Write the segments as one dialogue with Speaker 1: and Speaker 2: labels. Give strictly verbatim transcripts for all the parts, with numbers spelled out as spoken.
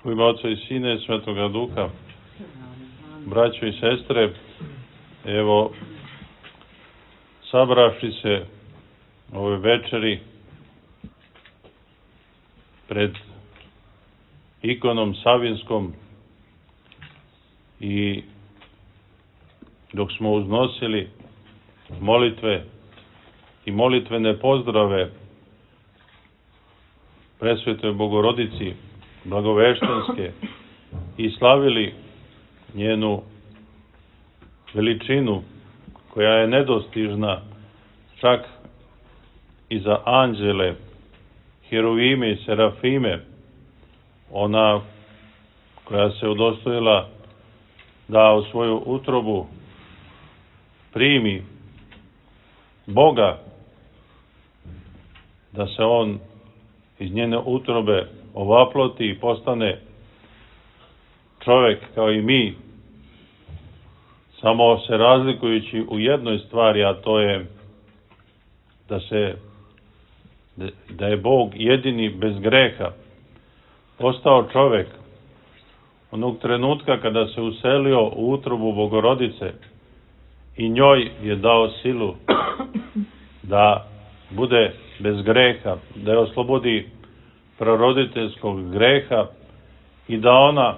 Speaker 1: U ime Oca i Sina i Svetoga Duha, braćo i sestre, evo, sabravši se ove večeri pred ikonom Savinskom i dok smo uznosili molitve i molitvene pozdrave Presvetoj Bogorodici Blagoveštenske i slavili njenu veličinu koja je nedostižna čak i za anđele, herovime i serafime, ona koja se udostojila da u svoju utrobu primi Boga, da se on iz njene utrobe ovaploti i postane čovjek kao i mi, samo se razlikujući u jednoj stvari, a to je da se da je Bog jedini bez greha postao čovjek onog trenutka kada se uselio u utrobu Bogorodice i njoj je dao silu da bude bez greha, da je oslobodi praroditeljskog greha i da ona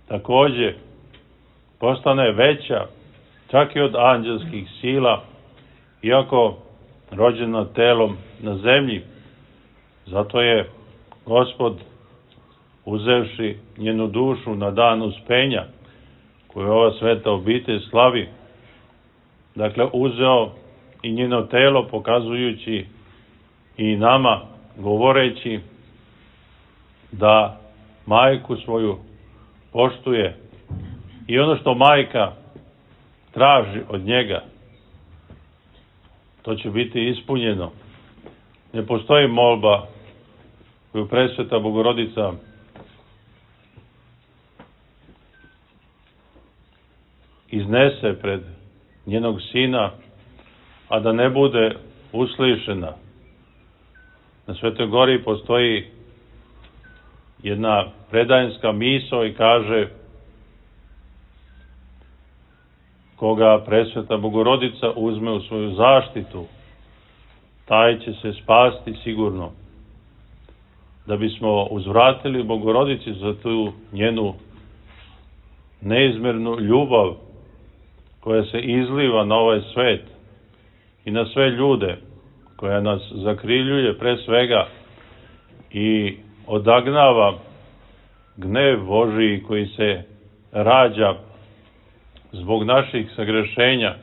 Speaker 1: također postane veća čak i od anđelskih sila, iako rođena telom na zemlji. Zato je Gospod, uzevši njenu dušu na dan uspenja, koju ova sveta obitelj slavi, dakle uzeo i njeno telo, pokazujući i nama, govoreći da majku svoju poštuje i ono što majka traži od njega, to će biti ispunjeno. Ne postoji molba koju Presveta Bogorodica iznese pred njenog sina, a da ne bude uslišena. Na Svetoj Gori postoji jedna predajenska misao i kaže: koga Presveta Bogorodica uzme u svoju zaštitu, taj će se spasti sigurno. Da bismo uzvratili Bogorodici za tu njenu neizmjernu ljubav koja se izliva na ovaj svet i na sve ljude, koja nas zakriljuje pre svega i odagnava gnev Božiji koji se rađa zbog naših sagrešenja,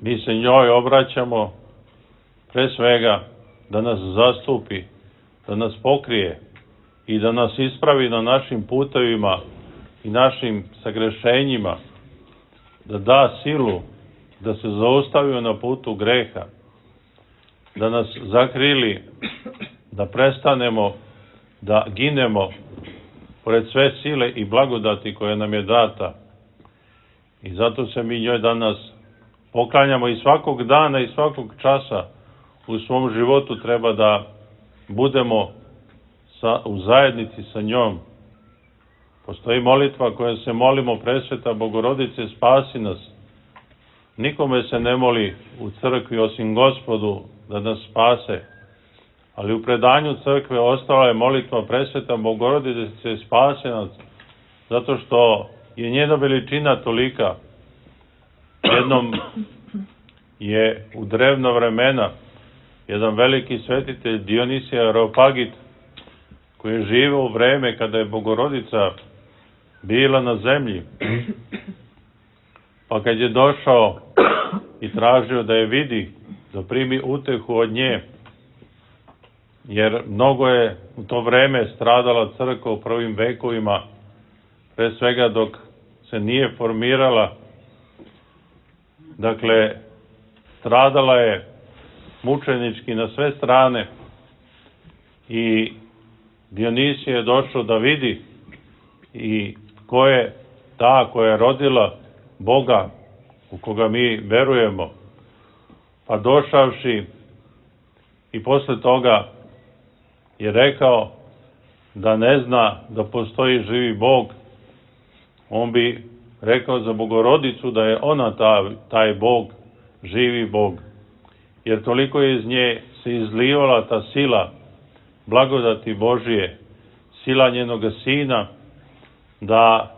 Speaker 1: mi se njoj obraćamo pre svega da nas zastupi, da nas pokrije i da nas ispravi na našim putevima i našim sagrešenjima, da da silu da se zaustavimo na putu greha, da nas zakrili, da prestanemo da ginemo pored sve sile i blagodati koja nam je data. I zato se mi njoj danas poklanjamo i svakog dana i svakog časa u svom životu treba da budemo sa, u zajednici sa njom. Postoji molitva koja se molimo: Presveta Bogorodice, spasi nas. Nikome se ne moli u crkvi osim Gospodu da nas spase, ali u predanju crkve ostala je molitva: Presveta Bogorodice, spasi nas, zato što je njena veličina tolika. Jednom je u drevna vremena jedan veliki svetitelj Dionisije Areopagit, koji je živeo u vreme kada je Bogorodica bila na zemlji, pa kad je došao i tražio da je vidi, da primi utehu od nje, jer mnogo je u to vreme stradala crkva u prvim vekovima, pre svega dok se nije formirala. Dakle, stradala je mučenički na sve strane i Dionisije je došao da vidi i ko je ta koja je rodila Boga u koga mi verujemo. Pa došavši i posle toga je rekao da ne zna da postoji živi Bog, on bi rekao za Bogorodicu da je ona ta, taj Bog, živi Bog. Jer toliko je iz nje se izlivala ta sila blagodati Božije, sila njenoga Sina, da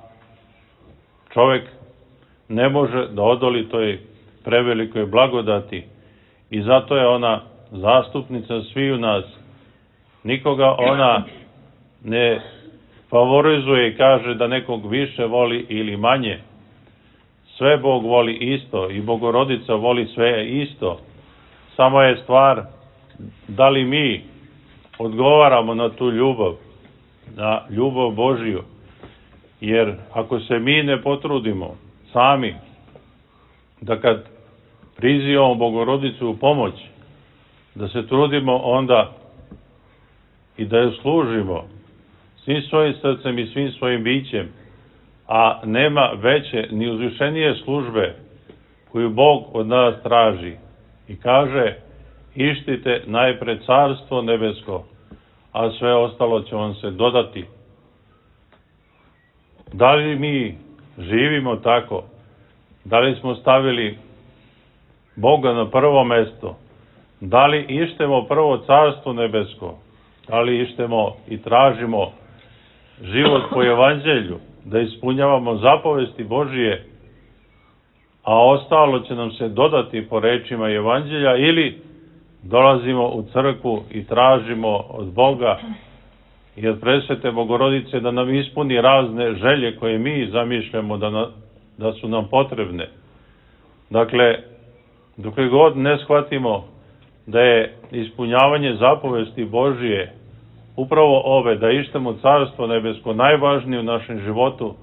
Speaker 1: čovjek ne može da odoli toj prevelikoj blagodati i zato je ona zastupnica sviju nas. Nikoga ona ne favorizuje i kaže da nekog više voli ili manje. Sve Bog voli isto i Bogorodica voli sve isto. Samo je stvar da li mi odgovaramo na tu ljubav, na ljubav Božiju. Jer ako se mi ne potrudimo sami da kad prizivamo Bogorodicu u pomoć, da se trudimo onda i da je služimo svim svojim srcem i svim svojim bićem, a nema veće ni uzvišenije službe koju Bog od nas traži i kaže: ištite najpre carstvo nebesko, a sve ostalo će vam se dodati. Da li mi živimo tako? Da li smo stavili Boga na prvo mesto? Da li ištemo prvo carstvo nebesko? Da li ištemo i tražimo život po evanđelju, da ispunjavamo zapovesti Božije, a ostalo će nam se dodati po rečima evanđelja, ili dolazimo u crkvu i tražimo od Boga i od presvete Bogorodice da nam ispuni razne želje koje mi zamišljamo da, na, da su nam potrebne. Dakle, dok god ne shvatimo da je ispunjavanje zapovesti Božije upravo ove, da ištemo carstvo nebesko, najvažnije u našem životu,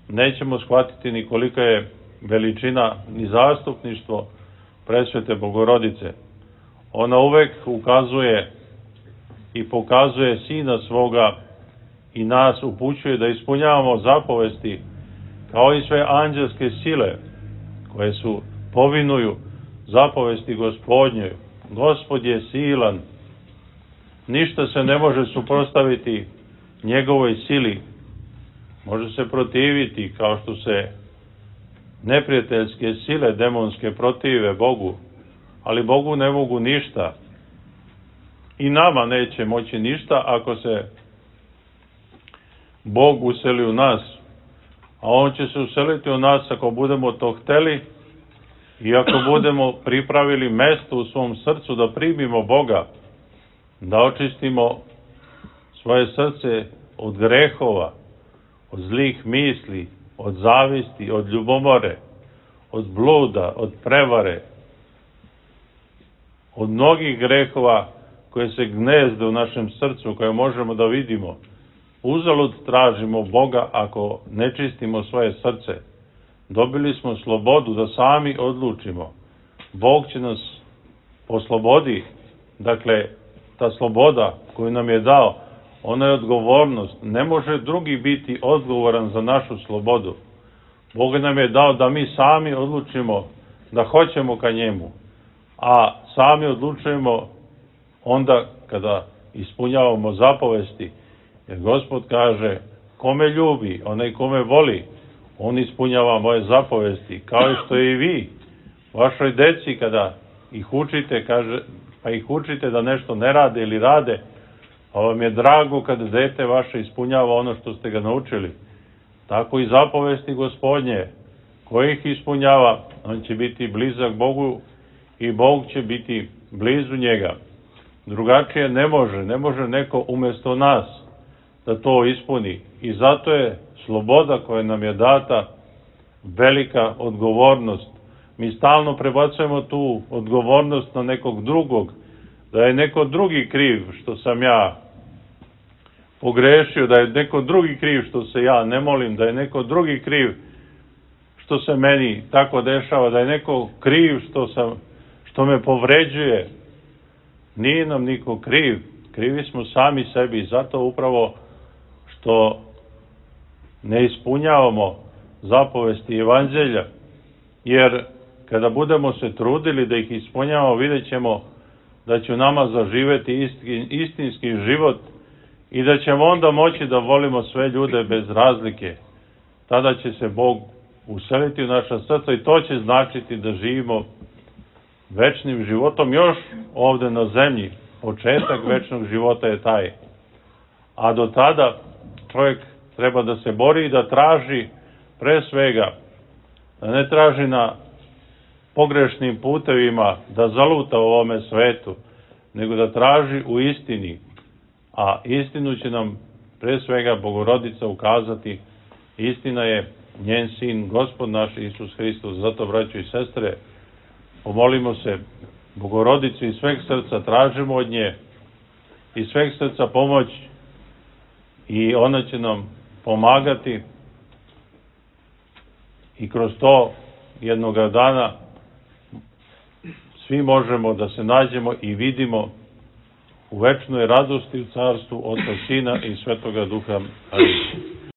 Speaker 1: nećemo shvatiti ni kolika je veličina ni zastupništvo presvete Bogorodice. Ona uvek ukazuje i pokazuje Sina svoga i nas upućuje da ispunjavamo zapovesti kao i sve anđelske sile koje su povinuju zapovesti Gospodnjoj. Gospod je silan, ništa se ne može suprotstaviti njegovoj sili. Može se protiviti kao što se neprijateljske sile demonske protive Bogu, ali Bogu ne mogu ništa. I nama neće moći ništa ako se Bog useli u nas. A On će se useliti u nas ako budemo to hteli i ako budemo pripravili mesto u svom srcu da primimo Boga, da očistimo svoje srce od grehova, od zlih misli, od zavisti, od ljubomore, od bluda, od prevare, od mnogih grehova koje se gnezde u našem srcu, koje možemo da vidimo. Uzalud tražimo Boga ako ne čistimo svoje srce. Dobili smo slobodu da sami odlučimo. Bog će nas po slobodi, dakle, ta sloboda koju nam je dao, ona je odgovornost. Ne može drugi biti odgovoran za našu slobodu. Bog nam je dao da mi sami odlučimo da hoćemo ka njemu, a sami odlučujemo onda kada ispunjavamo zapovesti. Jer Gospod kaže: kome ljubi, onaj kome voli, on ispunjava moje zapovesti, kao i što i vi vašoj deci kada ih učite, kaže, pa ih učite da nešto ne rade ili rade, pa vam je drago kada dete vaše ispunjava ono što ste ga naučili. Tako i zapovesti Gospodnje, koji ih ispunjava, on će biti blizak Bogu i Bog će biti blizu njega. Drugačije ne može, ne može neko umjesto nas da to ispuni. I zato je sloboda koja nam je data velika odgovornost. Mi stalno prebacujemo tu odgovornost na nekog drugog, da je neko drugi kriv što sam ja pogrešio, da je neko drugi kriv što se ja ne molim, da je neko drugi kriv što se meni tako dešava, da je neko kriv što, sam, što me povređuje. Nije nam niko kriv, krivi smo sami sebi, zato upravo što ne ispunjavamo zapovesti evanđelja, jer kada budemo se trudili da ih ispunjavamo, vidjet ćemo da će u nama zaživeti istinski život i da ćemo onda moći da volimo sve ljude bez razlike. Tada će se Bog useliti u naša srca i to će značiti da živimo večnim životom još ovde na zemlji. Početak večnog života je taj. A do tada čovjek treba da se bori i da traži pre svega, da ne traži na pogrešnim putevima da zaluta u ovome svetu, nego da traži u istini. A istinu će nam pre svega Bogorodica ukazati. Istina je njen sin, Gospod naš Isus Hristos. Zato, braćo i sestre, pomolimo se Bogorodici iz sveg srca, tražimo od nje iz sveg srca pomoć i ona će nam pomagati i kroz to jednoga dana svi možemo da se nađemo i vidimo u večnoj radosti u carstvu Oca, Sina i Svetoga Duha. Amin.